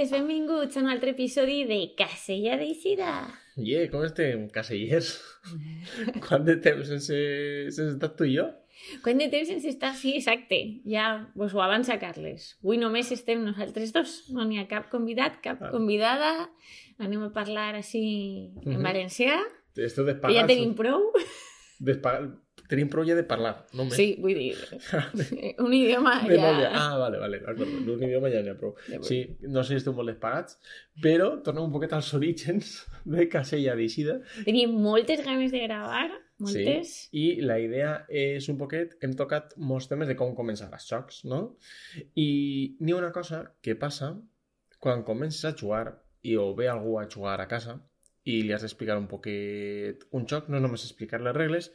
nosaltres, benvinguts a un altre episodi de Casella d'Eixida. Com estem, casellers? Quant de temps sense estar tu i jo? Quant de temps sense estar? Sí, exacte. Ja vos ho avança, Carles. Avui només estem nosaltres dos. No n'hi ha cap convidat, cap convidada. Anem a parlar així en valencià. Esteu Que despagats. ja tenim prou. Tenim prou ja de parlar, no més. Sí, vull dir, un idioma ja... Vale, d'acord. Un idioma ja n'hi ha prou. Sí, no sé si esteu molt despagats, però tornem un poquet als orígens de Casella d'Eixida. Tenim moltes ganes de gravar, moltes. Sí, i la idea és un poquet... Hem tocat molts temes de com començar els jocs, no? I n'hi ha una cosa que passa quan comences a jugar i o ve algú a jugar a casa i li has d'explicar un poquet un joc, no només explicar les regles.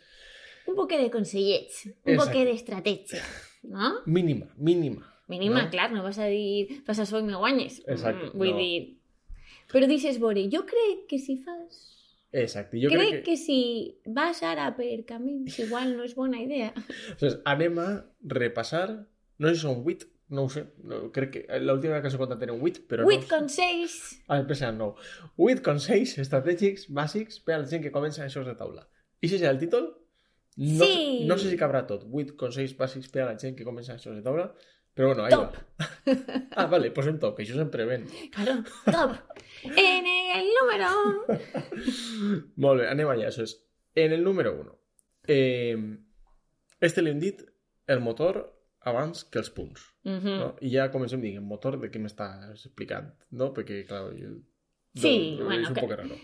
Un poquet de consellets, un poquet d'estratègia, no? Mínima. Mínima, no? clar, no vas a dir fas això i me guanyes. Exacte, Vull no. dir... Però dices, Bore, jo crec que si fas... Exacte, jo crec que si vas ara per camins igual no és bona idea. Entonces, anem a repassar, no sé si són 8, no ho sé, no, crec que l'última que s'ha contat eren 8, però 8 consells. Després eren 9. 8 consells estratègics bàsics per a la gent que comença a jocs de taula. I si és el títol? No, sí. No sé si cabrà tot. 8 consells bàsics per a la gent que comença a jocs de taula, però bueno, ahí top. Va. Vale, pues en top, que això sempre ven. Claro, top. En el número... Molt bé, anem allà. Això és, en el número 1. Este l'hem dit el motor abans que els punts. No? I ja comencem dient, motor, de què m'estàs explicant? No? Perquè, clar, jo... Sí, bueno, és un poc raro.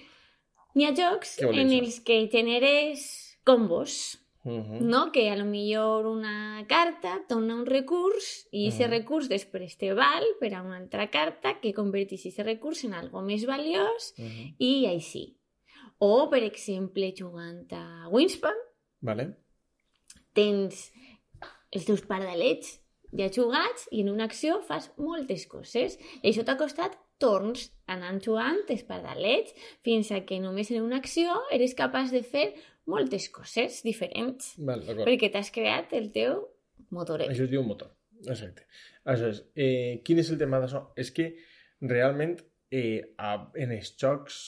N'hi ha jocs en els que generes combos, no? Que a lo millor una carta dona un recurs i aquest recurs després te val per a una altra carta que converteix aquest recurs en algo més valiós i així. O, per exemple, jugant a Wingspan, vale. Tens els teus pardalets ja jugats i en una acció fas moltes coses. I això t'ha costat torns anant jugant els pardalets fins a que només en una acció eres capaç de fer moltes coses diferents. Val, perquè t'has creat el teu motoret. Això es diu motor. Exacte. Això és, quin és el tema d'això? És que realment en els jocs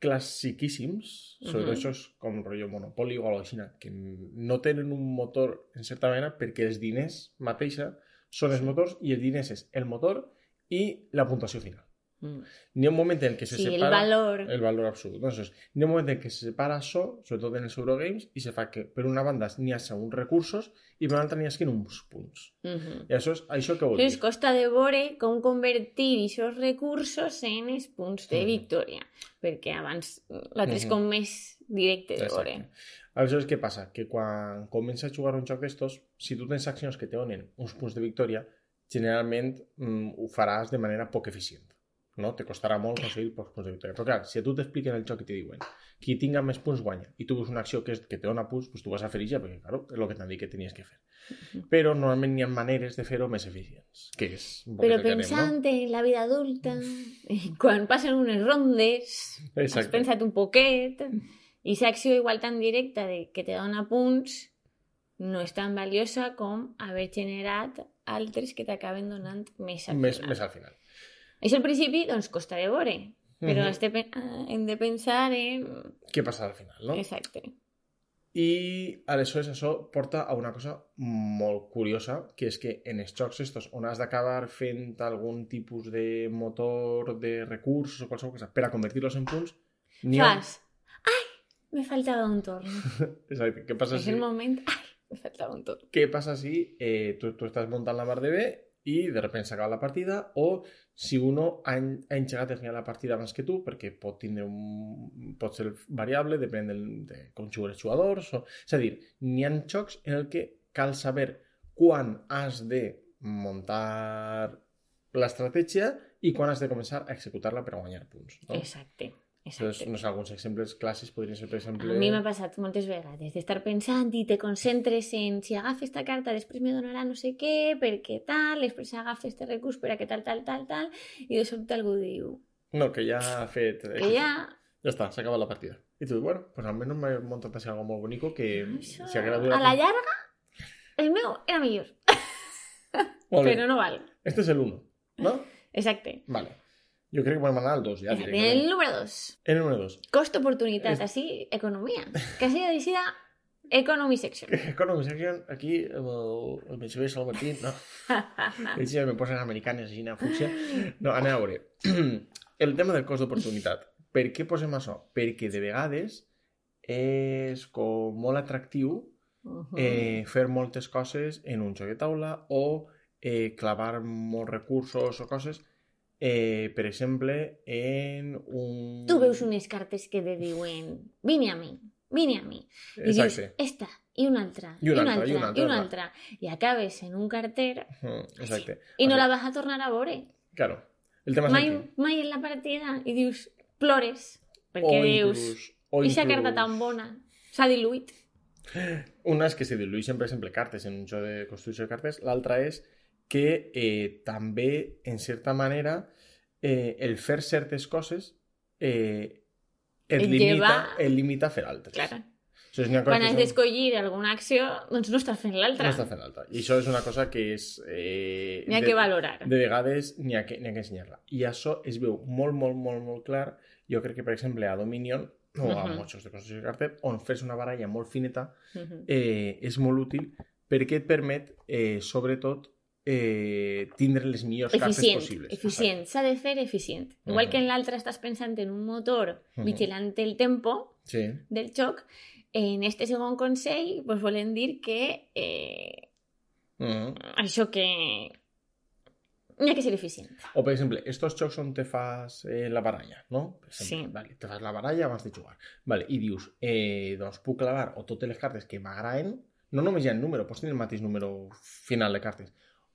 classiquíssims, sobretot això és com rotllo Monopoly o alguna cosa així, que no tenen un motor en certa manera perquè els diners mateixa són els motors i els diners és el motor i la puntuació final. N'hi ha un moment en què se separa el valor absolut. Entonces, n'hi ha un moment en què se separa això, sobretot en els Eurogames, i se fa que per una banda n'hi ha uns recursos i per una altra n'hi ha uns punts. I això què vol dir? Ens costa de veure com convertir aquests recursos en els punts de victòria, perquè abans l'altre és com més directe de veure. Aleshores, què passa? Que quan comences a jugar un joc d'estos, si tu tens accions que te donen uns punts de victòria, generalment ho faràs de manera poc eficient. No? Te costarà molt aconseguir pocs punts de victòria. Però clar, si a tu t'expliquen el joc i te diuen qui tinga més punts guanya i tu veus una acció que te dona punts, pues tu vas a fer ja, perquè claro, és el que t'han dit que tenies que fer. Però normalment hi ha maneres de fer-ho més eficients. Que és però pensant en la vida adulta, quan passen unes rondes, has pensat un poquet, i aquesta acció igual tan directa que te dona punts no és tan valiosa com haver generat altres que t'acaben donant més al final. Més al final. Això al principi, doncs, costa de veure, però hem de pensar en... Què passa al final, no? Exacte. I aleshores això porta a una cosa molt curiosa, que és que en els jocs estos on has d'acabar fent algun tipus de motor, de recursos o qualsevol cosa per a convertir-los en punts... Fas, ai, me faltava un torn. Exacte, què passa si... És el moment, ai, me faltava un torn. Què passa si tu estàs muntant la mar de bé i de sobte s'acaba la partida, o si uno ha engegat el final de la partida abans que tu, perquè pot ser variable, depèn de com juguen els jugadors, és a dir, n'hi ha jocs en el que cal saber quan has de muntar l'estratègia i quan has de començar a executar-la per a guanyar punts. No? Exacte. Entonces, no sé, alguns exemples clàssics podrien ser, per exemple... A mi m'ha passat moltes vegades d'estar pensant i te concentres en si agafo esta carta després me donarà no sé què, perquè tal, després agafo este recurs per a que tal, i de sobte algú diu... No, que ja ha fet... Que ja... Ja està, s'ha acabat la partida. I tu, bueno, pues almenys m'he muntat així algo molt bonico que... Això... Si a la llarga, el meu era millor. Però no val. Este és el 1, no? Exacte. Vale. Jo crec que podem anar al 2 ja, directament. El número 2. El número 2. Costo-oportunitat, així, economia. Que sigui decidida Economy Section. Economy Section, aquí, el Benjamí Salvatí, no. Ells ja me posen americanes així, fúcsia. No, anem a veure. El tema del cost d'oportunitat. Per què posem això? Perquè de vegades és com molt atractiu fer moltes coses en un joc de taula o clavar molts recursos o coses. Per exemple, en un... Tu veus unes cartes que te diuen vine a mi. I dius, esta, i una altra, i una altra. I acabes en un carter i no la vas a tornar a veure. Claro. El tema mai en la partida. I dius, plores, perquè dius, aquesta carta tan bona s'ha diluït. Una és que se diluïxen, per exemple, cartes en un joc de construcció de cartes. L'altra és que també, en certa manera, el fer certes coses et limita a fer altres. Clar. Quan has d'escollir alguna acció, doncs no estàs fent l'altra. No estàs fent l'altra. I això és una cosa que és... n'hi ha que valorar. De vegades n'hi ha que ensenyar-la. I això es veu molt, molt, molt, molt clar. Jo crec que, per exemple, a Dominion o a molts jocs de construcció de cartes, on fes una baralla molt fineta, és molt útil perquè et permet, sobretot, tindre les millors cartes possibles. Eficient, s'ha de fer eficient. Igual que en l'altre estàs pensant en un motor vigilant el tempo del joc, en este segon consell pues, volen dir que això que n'hi ha que ser eficient. O, per exemple, estos jocs on te fas la baralla, no? Per exemple, sí. Vale, te fas la baralla abans de jugar. Vale, i dius, doncs puc clavar o totes les cartes que m'agraden, no només hi ha el número, pots tenir el mateix número final de cartes.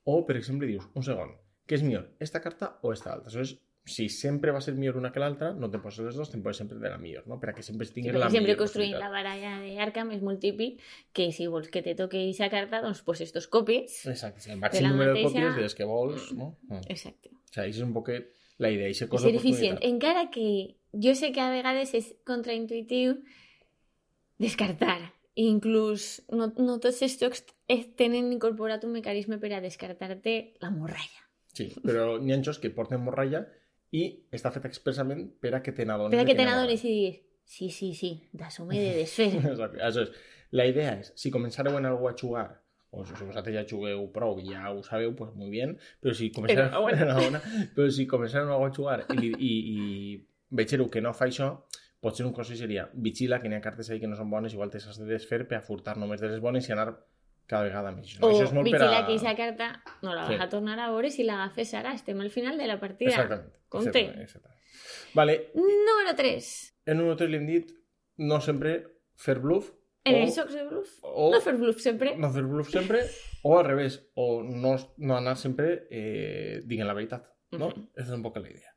O, per exemple, dius, un segon, què és millor, esta carta o esta altra? Aleshores, si sempre va ser millor una que l'altra, no te poses les dues, te poses sempre de la millor, no? Per a que sempre tinguis la millor. Sempre construint la baralla d'Arkham és molt típic que si vols que te toque aquesta carta, doncs poses dos còpies. Exacte, el màxim número de còpies de les que vols, no? Exacte. O sigui, això és un poquet la idea, això cosa d'oportunitat. Encara que jo sé que a vegades és contraintuitiu descartar. Inclús no tots els jocs tenen incorporat un mecanisme per a descartar-te la morralla. Sí, però n'hi ha jocs que porten morralla i està fet expressament per a que te n'adones. Per a que te n'adones i diguis, sí, d'això m'he de desfer. Exacte. Això és. La idea és, si començareu en algú a jugar, o si vosaltres ja jugueu prou i ja ho sabeu, pues muy bien, però si començareu en algú a jugar i vegeu que no fa això, potser un consell seria vigila que n'hi ha cartes ahí que no són bones, igual te s'has de desfer per a furtar només de les bones i anar cada vegada més. No? O vigila que aquesta carta no la vas a tornar a veure si l'agafes ara. Estem al final de la partida. Exactament. Compte. Vale. Número 3. El número 3 li hem dit no sempre fer bluff. En els jocs de bluff? No fer bluff sempre. No fer bluff sempre. O al revés. O no anar sempre dient la veritat. ¿No? Esa es un poco la idea.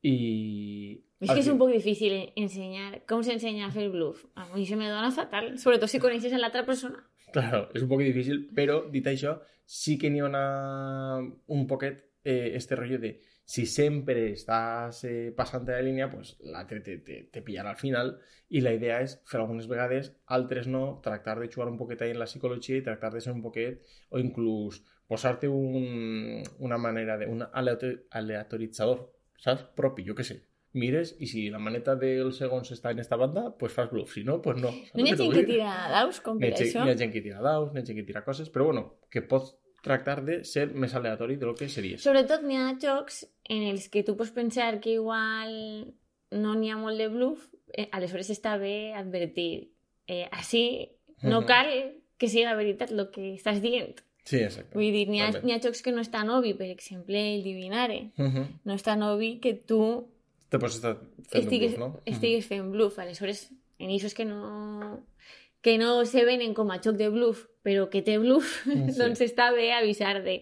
Y... Es que es un poco difícil enseñar cómo se enseña a hacer bluff. A mí se me dona fatal, sobre todo si conoces a la otra persona. Claro, és un poc difícil, però dit això, sí que n'hi ha un poquet este rotllo de si sempre estàs passant de la línia, pues l'altre te pillarà al final i la idea és fer algunes vegades, altres no, tractar de jugar un poquet ahí en la psicologia i tractar de ser un poquet, o inclús posar-te una manera de un aleatoritzador, saps? Propi, jo què sé. Mires i si la maneta dels segons està en esta banda, pues fas bluff, si no, pues no. No hi ha gent que tira daus com per això? N'hi ha gent que tira daus, n'hi ha gent que tira coses, però bueno, que pots tractar de ser més aleatori de lo que series. Sobretot n'hi ha jocs en els que tu pots pensar que igual no n'hi ha molt de bluff, aleshores està bé advertir. Així no cal que sigui la veritat el que estàs dient. Sí, exacte. Vull dir, n'hi ha jocs que no és tan obvi, per exemple, el Divinare. No és tan obvi que tu te pots estar fent bluff, no? Estigues fent bluff. Aleshores, en això és que no se venen com a joc de bluff, però que té bluff, doncs està bé avisar de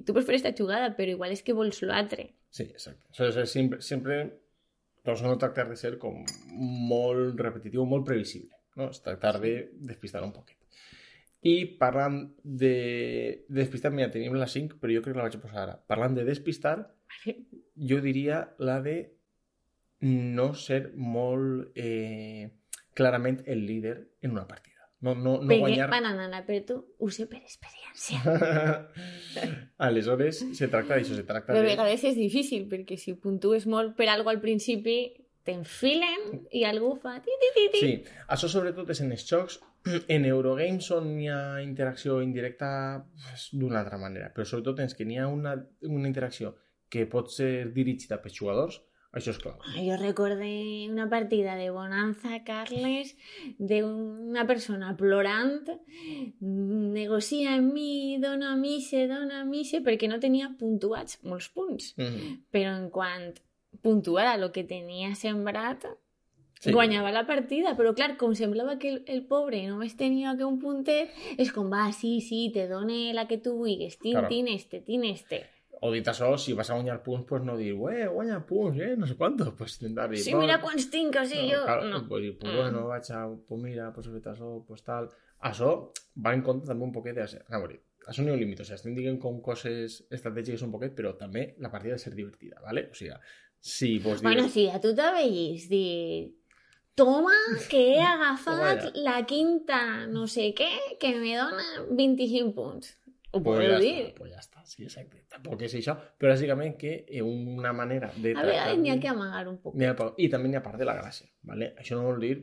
tu pots fer esta jugada, però igual és que vols l'altre. Sí, exacte. O sigui, sempre doncs no tractar de ser com molt repetitiu, molt previsible, no? És tractar de despistar un poquet. I parlant de despistar, mira, tenim la 5, però jo crec que la vaig a posar ara. Parlant de despistar, jo diria la de no ser molt clarament el líder en una partida. No perquè guanyar... banana, però tu ho sé per experiència. Aleshores, se tracta d'això, se tracta Però a de... vegades és difícil, perquè si puntues molt per algo al principi, t'enfilen i algú fa ti. Sí, això sobretot és en els jocs. En Eurogames on hi ha interacció indirecta d'una altra manera, però sobretot tens que n'hi ha una interacció que pot ser dirigida pels jugadors, això és clau. Jo recordé una partida de Bonanza, Carles, d'una persona plorant, negocia amb mi, dona mise, perquè no tenia puntuats molts punts. Però en quant puntuara el que tenia sembrat, guanyava la partida, però clar, com semblava que el pobre només tenia que un puntet, és com, va, sí, te done la que tu vulguis, tin este. O dit això, si vas a guanyar punts, pues no dir, guanya punts, no sé quantos, pues intentar dir... Sí, mira quants tinc, així jo... No. Pues dir, pues bueno, vaig a... Pues mira, pues he fet això, pues tal... Això va en compte també un poquet de... A veure, això no hi ha un límit, o sigui, estem dient com coses estratègiques un poquet, però també la partida ha de ser divertida, ¿vale? O sigui, si vos dius... Bueno, sí, a tu t'aveis dir... Toma, que he agafat la quinta no sé què, que me dona 25 punts. Ho puedo dir. Pues ja està, sí, exacte. Tampoc és això, però bàsicament que una manera de... A vegades n'hi ha que amagar un poc. I també n'hi ha part de la gràcia, ¿vale? Això no vol dir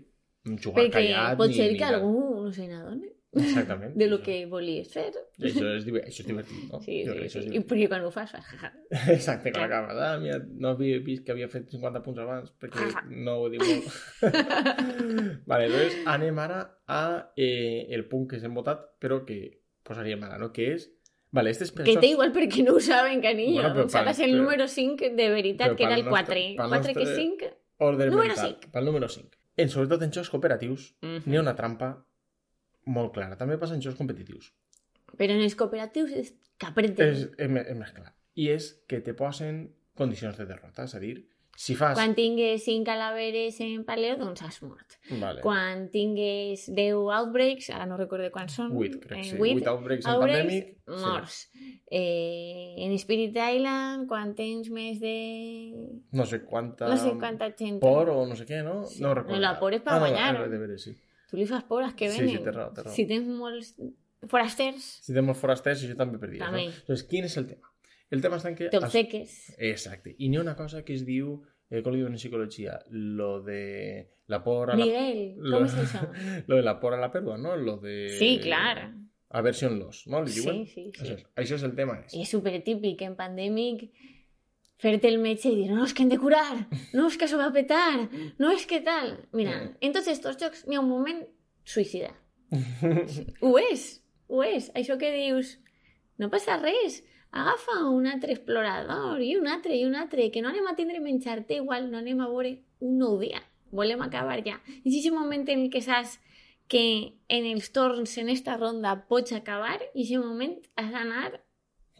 jugar perquè callat pot ser que algú no se n'adoni. Exactament. De lo que volies fer. Això és divertit, no? Sí. I perquè quan ho fas, exacte, quan acabes. Mira, no havia vist que havia fet 50 punts abans, perquè no ho diu molt. Vale, doncs anem ara a el punt que s'hem votat, però que posaríem ara, no? Que és... Vale, este és que té igual perquè no ho saben, canillo. Bueno, seràs el número 5 de veritat, que era el 4. 4 que 5. Número 5. Pel número 5. Sobretot en jocs cooperatius n'hi ha una trampa molt clara. També passa en jocs competitius. Però en els cooperatius és caprete. És més clar. I és que te posen condicions de derrota. És a dir, si fas... Quan tingues 5 calaveres en paleo, doncs has mort. Vale. Quan tingues 10 outbreaks, ara no recordo quants són. 8, crec, sí. 8 outbreaks en Pandemic. Morts. Sí. En Spirit Island, quan tens més de... No sé quanta gent. Por o no sé què, no? Sí. No recordo. La por és per guanyar. No, de veres, sí. Tu li fas por als que venen. Sí, té raó. Si tens molts forasters... Si tens molts forasters, això també perdies. També. No? Doncs quin és el tema? El tema està en que... T'obseques. Exacte. I n'hi ha una cosa que es diu, com li diuen en psicologia, lo de la por a la... Miguel, com és això? Lo de la por a la pèrdua, no? Lo de... Sí, clar. Aversion loss, no? Li diuen? Sí. Això és el tema. I és supertípic en Pandemic fer-te el metge i dir, no, és que hem de curar, no, és que això va a petar, no, és que tal. Mira, en tots aquests jocs n'hi ha un moment suïcida. Ho és. Això que dius, no passa res, agafa un altre explorador i un altre, que no anem a tindre menjar-te igual, no anem a veure un nou dia, volem acabar ja. I és aquest moment en què saps que en els torns en esta ronda pots acabar i en aquest moment has d'anar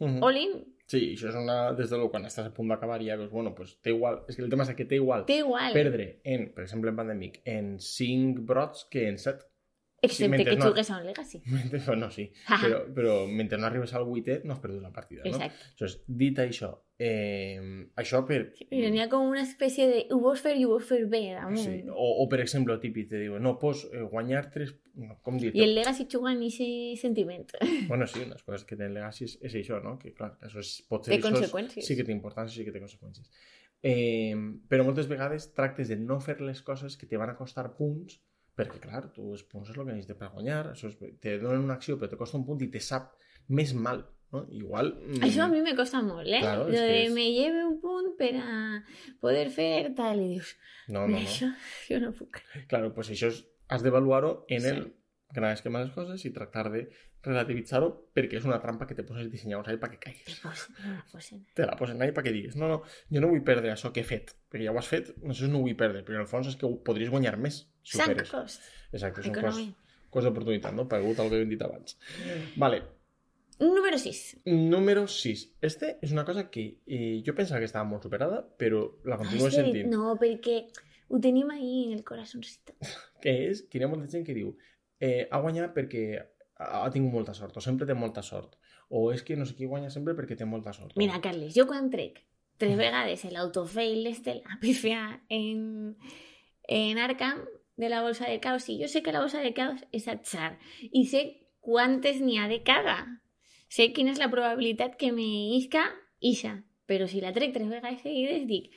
all-in. Sí, això és des de quan estàs a punt d'acabar i ja veus, bueno, pues té igual, és que el tema és que té igual perdre, per exemple en Pandemic, en 5 brots que en 7. Excepte que jugues a un Legacy. No, sí, però mentre no arribes al 8è no has perdut la partida, no? Exacte. Doncs, dit això, això per... Sí, però n'hi ha com una espècie de ho vols fer i ho vols fer bé, damunt. Sí. O per exemple, típic, te diuen, no, pots guanyar 3... Com dir-te? I el Legacy juga en aquest sentiment. Bueno, sí, unes coses que té el Legacy és això, no? Que clar, això pot ser... Té conseqüències. Sí que té importància, sí que té conseqüències. Però moltes vegades tractes de no fer les coses que te van a costar punts, perquè, clar, tu els punts és el que necessites per guanyar, te donen una acció però te costa un punt i te sap més mal, no? Igual... Això a mi me costa molt, Claro, me lleve un punt per a poder fer tal, i dius, no. Això jo no puc. Claro, pues això has d'avaluar-ho en el gran esquema de les coses i tractar de relativitzar-ho perquè és una trampa que te poses dissenyadors ahí perquè caigues. Te la posen ahí perquè digues, no, jo no vull perdre això que he fet, perquè ja ho has fet, això no ho vull perdre, perquè en el fons és que podries guanyar més si ho feres. Exacte, són coses d'oportunitat, no? Pagut el que hem dit abans. Vale. Número 6. Número 6. Este és una cosa que jo pensava que estava molt superada, però la continuo sentint. No, perquè ho tenim ahí en el corazoncito. Que és que hi ha molta gent que diu ha guanyat perquè ha tingut molta sort, o sempre té molta sort, o és que no sé qui guanya sempre perquè té molta sort. Mira, Carles, jo quan trec 3 vegades l'autofeil la pifia en Arkham, de la bolsa de caos, sí, jo sé que la bolsa de caos és atzar i sé quantes n'hi ha de cada. Sé quina és la probabilitat que me isca ixa, però si la trec 3 vegades seguides dic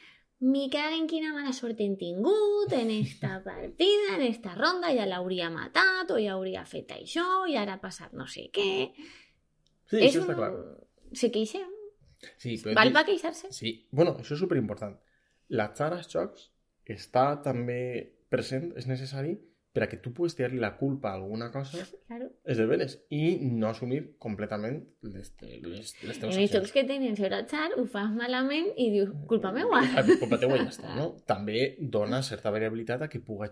me cago en quina mala sort hem tingut en esta partida, en esta ronda, ja l'hauria matat o ja hauria fet això i ara ha passat no sé què. Sí, això està clar. Se queixem. Sí, val per queixar-se? Sí, bueno, això és superimportant. L'atzar als jocs està també present, és necessari per a que tu puguis tirar-li la culpa a alguna cosa, claro. És de veres, i no assumir completament les teves accions. En els jocs que tenen sobre atzar ho fas malament i dius, culpa meua. Culpa teua ja està, no? També dona certa variabilitat a que puga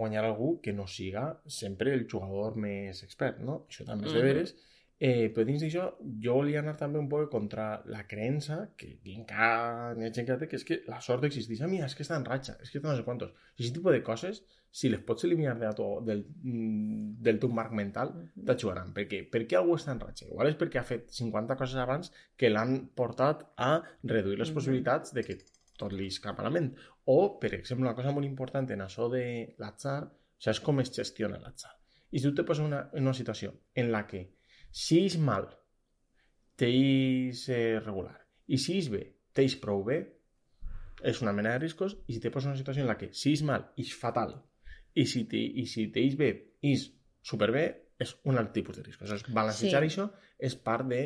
guanyar algú que no siga sempre el jugador més expert, no? Això també és de veres. Però dins d'això, jo volia anar també un poc contra la creença que encara n'hi ha gent que té, que és que la sort existeix. Mira, és que està en ratxa, és que està no sé quantos. I aquest tipus de coses, si les pots eliminar del teu marc mental, t'ajudaran. Per què? Per què algú està en ratxa? Igual és perquè ha fet 50 coses abans que l'han portat a reduir les possibilitats de que tot li escapa a la ment. O, per exemple, una cosa molt important en això de l'atzar, això és com es gestiona l'atzar. I si tu te poses en una situació en la que si és mal, t'eix regular. I si és bé, t'eix prou bé, és una mena de riscos. I si te poses en una situació en la que si és mal, és fatal. I si t'eix bé, és superbé, és un altre tipus de riscos. Balancejar això és part de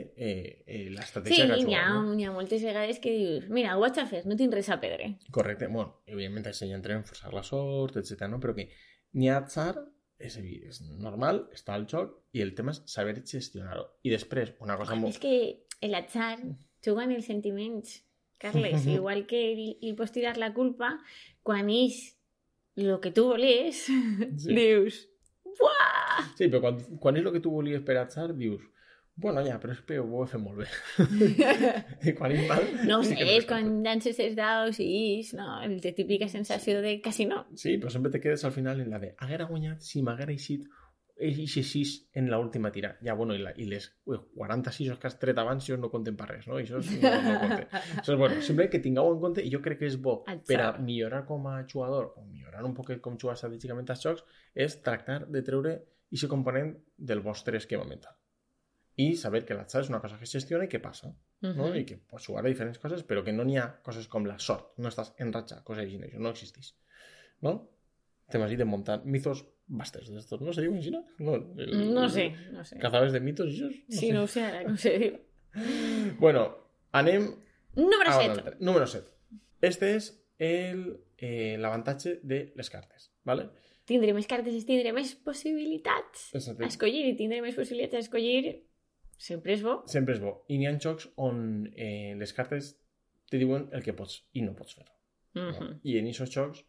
l'estratègia que jugar. Sí, n'hi ha moltes vegades que dius, mira, ho vaig a fer, no tinc res a perdre. Correcte. Bueno, evidentment això ja entrem en forçar la sort, etc. No? Però que n'hi ha atzar, és normal, està al joc, i el tema és saber gestionar-ho. I després, una cosa molt... És que l'atzar juga en els sentiments, Carles, igual que li pots tirar la culpa quan és el que tu volies, dius, buah! Sí, però quan és el que tu volies per atzar, dius, bueno, ja, però és que ho he fet molt bé. I quan és mal... No sé, és quan llances els daus i no, la típica sensació de casino. Sí, però sempre te quedes al final en la de haguera guanyat si m'haguera eixit eixe 6 en l'última tira. Ja, bueno, i les 46 que has tret abans, això no compten per res, no? Això no compte. Això és bueno, sempre que tingueu en compte, i jo crec que és bo per a millorar com a jugador, o millorar un poquet com jugar estratègicament als jocs, és tractar de treure aquest component del vostre esquema mental. I saber que l'atzar és una cosa que es gestiona i que passa, no? I que pots jugar a diferents coses, però que no n'hi ha coses com la sort, no estàs en ratxa, coses així, això no existeix, no? Temes així de muntar mitos bastes d'estos, ¿no se diu així? No sé. Cazadores de mitos, això? Sí, no ho sé ara, com se diu. Bueno, anem... Número 7. Número 7. Este és l'avantatge de les cartes, ¿vale? Tindré més cartes i tindré més possibilitats a escollir, i tindré més possibilitats a escollir sempre és bo. Sempre és bo. I n'hi ha jocs on les cartes te diuen el que pots i no pots fer. No? I en aquests jocs,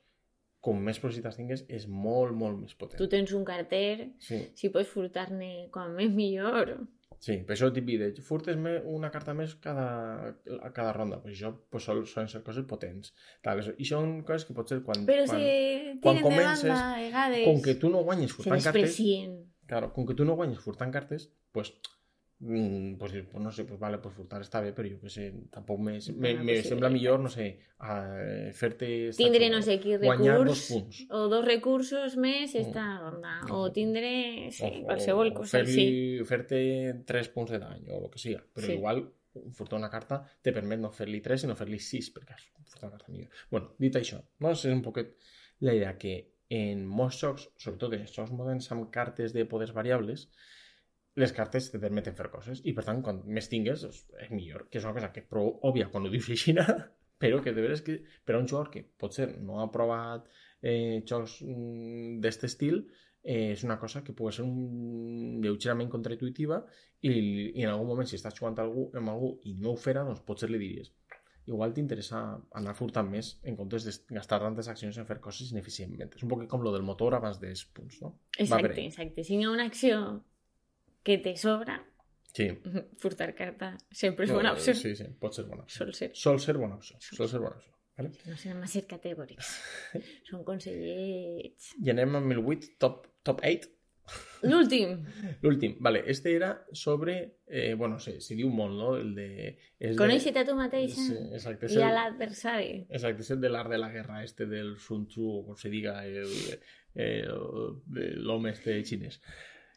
com més possibilitats tingues, és molt, molt més potent. Tu tens un carter, si pots furtar-ne com més millor. Sí, per això t'hi pide, furtes una carta més cada ronda. Pues això pues, solen ser coses potents. I són coses que pot ser quan comences, de vegades, com que tu no guanyes furtant cartes, claro, com que tu no guanyes furtant cartes, pues no sé, pues vale, pues furtar està bé, però jo que sé, tampoc me sembla millor, no sé, fer-te... Tindre no sé quin recurs, o 2 recursos més esta ronda, o tindre qualsevol cosa així. Fer-te 3 punts de dany, o el que siga, però igual furtar una carta te permet no fer-li 3, sinó fer-li 6, perquè has furtat una carta millor. Bueno, dit això, no? És un poquet la idea que en molts jocs, sobretot en els jocs moderns amb cartes de poders variables, les cartes te permeten fer coses i per tant quan més tingues és millor, que és una cosa que és prou òbvia quan ho dius així, però que de veres que per a un jugador que potser no ha provat jocs d'aquest estil és una cosa que pot ser lleugerament contraintuitiva i en algun moment si estàs jugant amb algú i no ho farà, doncs potser li diries igual t'interessa anar furtant més en comptes de gastar tantes accions en fer coses ineficientment. És un poc com lo del motor abans dels punts, no? Exacte. Si hi ha una acció que te sobra, furtar carta sempre és bona opció. Sí, pot ser bona opció. Sol ser bona opció. ¿Vale? No serem massa categòrics. Són consellets. I anem amb el 8, top 8. L'últim, vale. Este era sobre... bueno, se diu molt, no? El de... Conèixer-te a tu mateix exacte, i a l'adversari. Exacte, és el de l'art de la guerra, este del Sun Tzu, o com se diga, l'home este xinès.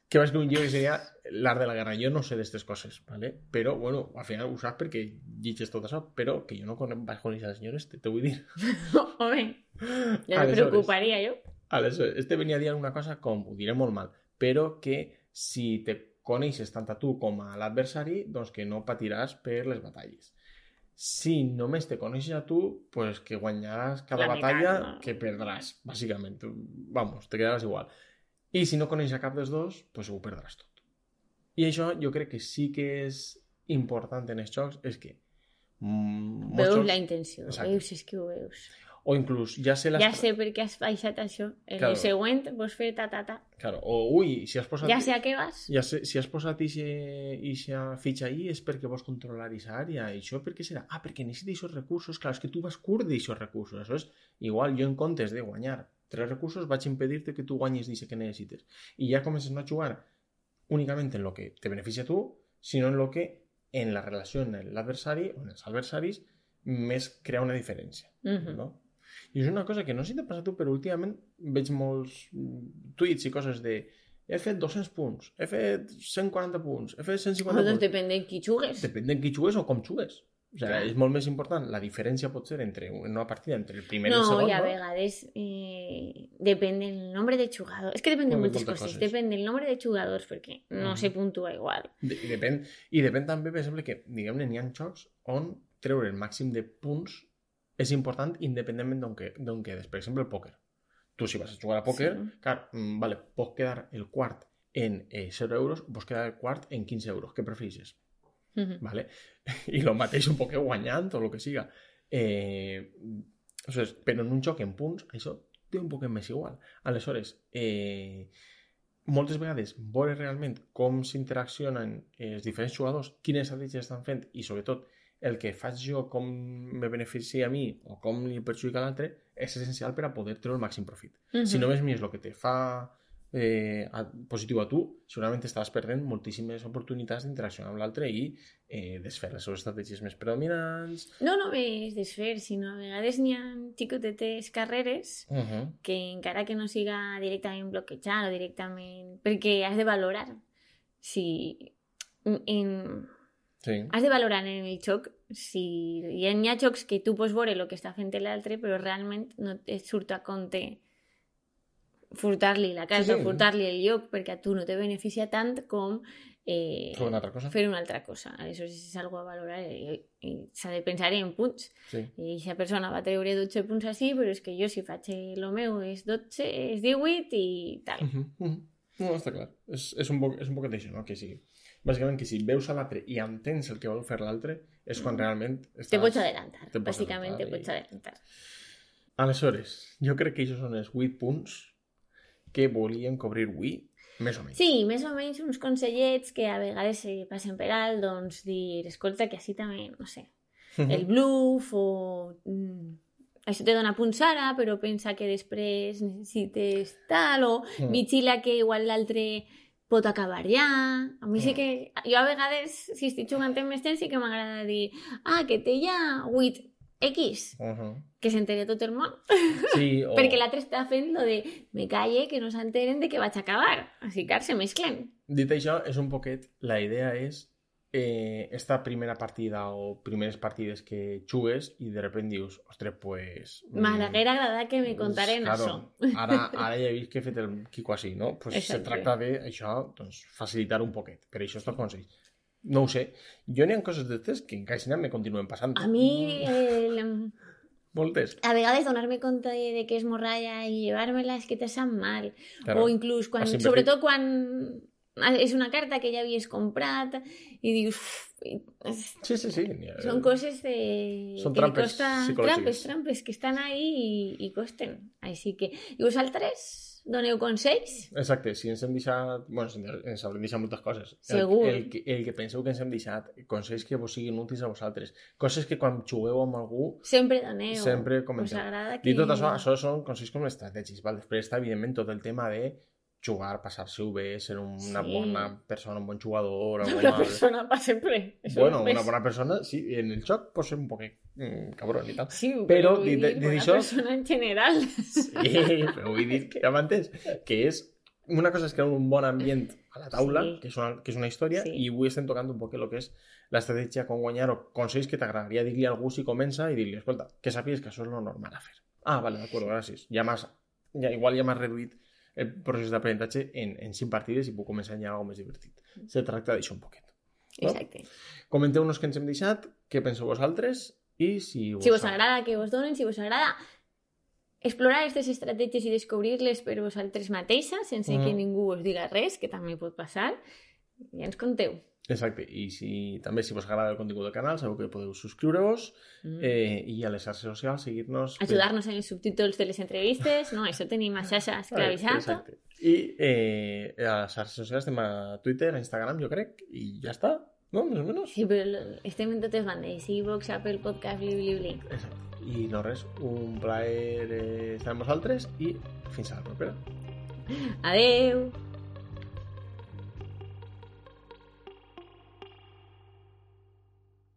Que va escriure un llibre que seria l'art de la guerra. Jo no sé d'estes coses, ¿vale? Però, bueno, al final ho saps perquè llitges tot això, però que jo no vaig conèixer el senyor este, te vull dir. Home, ja me preocuparia jo. Aleshores, este venia a dir una cosa com, ho diré molt mal, però que si te coneixes tant a tu com a l'adversari, doncs que no patiràs per les batalles. Si només te coneixes a tu, pues que guanyaràs cada batalla que perdràs, bàsicament. Vamos, te quedaràs igual. I si no coneixes a cap dels dos, pues ho perdràs tot. I això jo crec que sí que és important en els jocs, és que... Veus la intenció, veus, és que ho veus. O inclús, ja sé per què has baixat això. En el següent vols fer ta-ta-ta. Claro. O, ui, si has posat... Ja sé a què vas. Si has posat ixa fitxa ahí és perquè vols controlar ixa àrea. I això per què serà? Ah, perquè necessites aquests recursos. Clar, és que tu vas curt d'aixòs recursos. Això és igual, jo en comptes de guanyar 3 recursos vaig impedir-te que tu guanyis d'això que necessites. I ja comences no a jugar únicament en lo que te beneficia a tu, sinó en lo que en la relació amb l'adversari o en els adversaris més crea una diferència. No? I és una cosa que no sé si t'ha passat tu, però últimament veig molts tuits i coses de he fet 200 punts, he fet 140 punts, he fet 150 punts. Doncs depèn de qui jugues. Depèn de qui jugues o com jugues. O sigui, és molt més important la diferència pot ser entre una partida entre el primer i el segon. No, i a vegades depèn del nombre de jugadors. És que depèn de moltes coses. Depèn del nombre de jugadors, perquè no se puntua igual. I depèn també, per exemple, que diguem-ne, n'hi ha jocs on treure el màxim de punts és important independentment d'on quedes. Per exemple, el pòquer. Tu, si vas a jugar a pòquer, clar, vale, pots quedar el quart en 0 euros o pots quedar el quart en 15 euros. Què prefereixes? Vale? I el mateix un poc guanyant o el que siga. Però en un joc en punts, això té un poc més igual. Aleshores, moltes vegades veure realment com s'interaccionen els diferents jugadors, quines estratègies estan fent i, sobretot, el que faig jo, com me beneficia a mi o com li perjudica a l'altre, és essencial per a poder treure el màxim profit. Si només mires el que te fa positiu a tu, segurament estàs perdent moltíssimes oportunitats d'interaccionar amb l'altre i desfer les seves estratègies més predominants. No només desfer, sinó a vegades n'hi ha xicotetes carreres que encara que no siga directament bloquejar o directament... perquè has de valorar si... Has de valorar en el joc si hi ha jocs que tu pots veure el que està fent l'altre però realment no et surt a compte furtar-li la casa o furtar-li el lloc perquè a tu no te beneficia tant com fer una altra cosa. Aleshores és algo a valorar i s'ha de pensar en punts. I aquesta persona va treure 12 punts així, però és que jo si faig el meu és 12, és 18 i tal. No, està clar. És un poc d'això, no? Que sí. Bàsicament que si veus a l'altre i entens el que vol fer l'altre és quan realment estàs... Te pots adelantar. Bàsicament te pots adelantar. Aleshores, jo crec que aquests són els 8 punts que volíem cobrir avui, més o menys. Sí, més o menys uns consellets que a vegades se passen per alt, doncs dir, escolta, que així també, no sé, el bluff o... això te dona punts ara, però pensa que després necessites tal, o vigila que igual l'altre... pot acabar ja. A mi sí que... Jo a vegades, si estic jugant en més temps, sí que m'agrada dir que té ja 8X. Que s'enteri tot el món. Sí, perquè l'altre està fent lo de me calle, que no s'enteren de que vaig acabar. Així que se mesclen. Dit això, és un poquet... La idea és esta primera partida o primeres partides que jugues i de repente dius, ostres, pues... M'haguera agradat que me contaren això. Ara ja he vist que he fet el quico així, no? Pues se tracta d'això, doncs, facilitar un poquet. Per això estos consells. No ho sé. Jo n'hi ha coses d'estes que encara me continuen passant. A mi... Moltes. A vegades donar-me compte de que és morralla i llevar-me-la és que te sap mal. Claro. O inclús quan... Sobretot quan... és una carta que ja havies comprat i dius... Sí. Són coses són trampes psicològiques. Trampes que estan ahí i costen. Així que... I vosaltres doneu consells? Exacte, si ens hem deixat... Bueno, ens haurem deixat moltes coses. Segur. El que penseu que ens hem deixat, consells que vos siguin útils a vosaltres. Coses que quan jugueu amb algú... Sempre doneu. Sempre comenteu. Us agrada que... I tot això són consells com estratègics. Val? Després està, evidentment, tot el tema de jugar, passar-se-ho bé, ser una bona persona, un bon jugador... Una persona per sempre. Bueno, una bona persona, sí, en el joc pot ser un poquet cabrón i tal. Sí, però vull dir, bona persona en general. Sí, però vull dir, ja m'entens, que és... Una cosa és crear un bon ambient a la taula, que és una història, i avui estem tocant un poc el que és l'estratègia, com guanyar o consells que t'agradaria dir-li a algú si comença i dir-li, escolta, que sàpigues que això és lo normal a fer. Ah, vale, d'acord, gràcies. Igual ja m'has reduït el procés d'aprenentatge en 5 partides i puc començar a ensenyar alguna més divertit. Se tracta d'això un poquet. No? Exacte. Comenteu-nos què ens hem deixat, què penseu vosaltres i si vos agrada que vos donen, si vos agrada explorar aquestes estratègies i descobrir-les per vosaltres mateixes sense que ningú us diga res, que també pot passar, ja ens conteu. Exacte, i també si vos agrada el contingut del canal sabeu que podeu subscriure-vos i a les xarxes socials seguir-nos... Ajudar-nos en els subtítols de les entrevistes, no? Això tenim a xarxa esclavitzat. Exacte. I a les xarxes socials estem a Twitter, a Instagram, jo crec, i ja està, no? Més o menys. Sí, però estem en totes bandes, iVoox, Apple Podcast, bli. Exacte. I no res, un plaer estar amb vosaltres i fins a la propera. Adeu!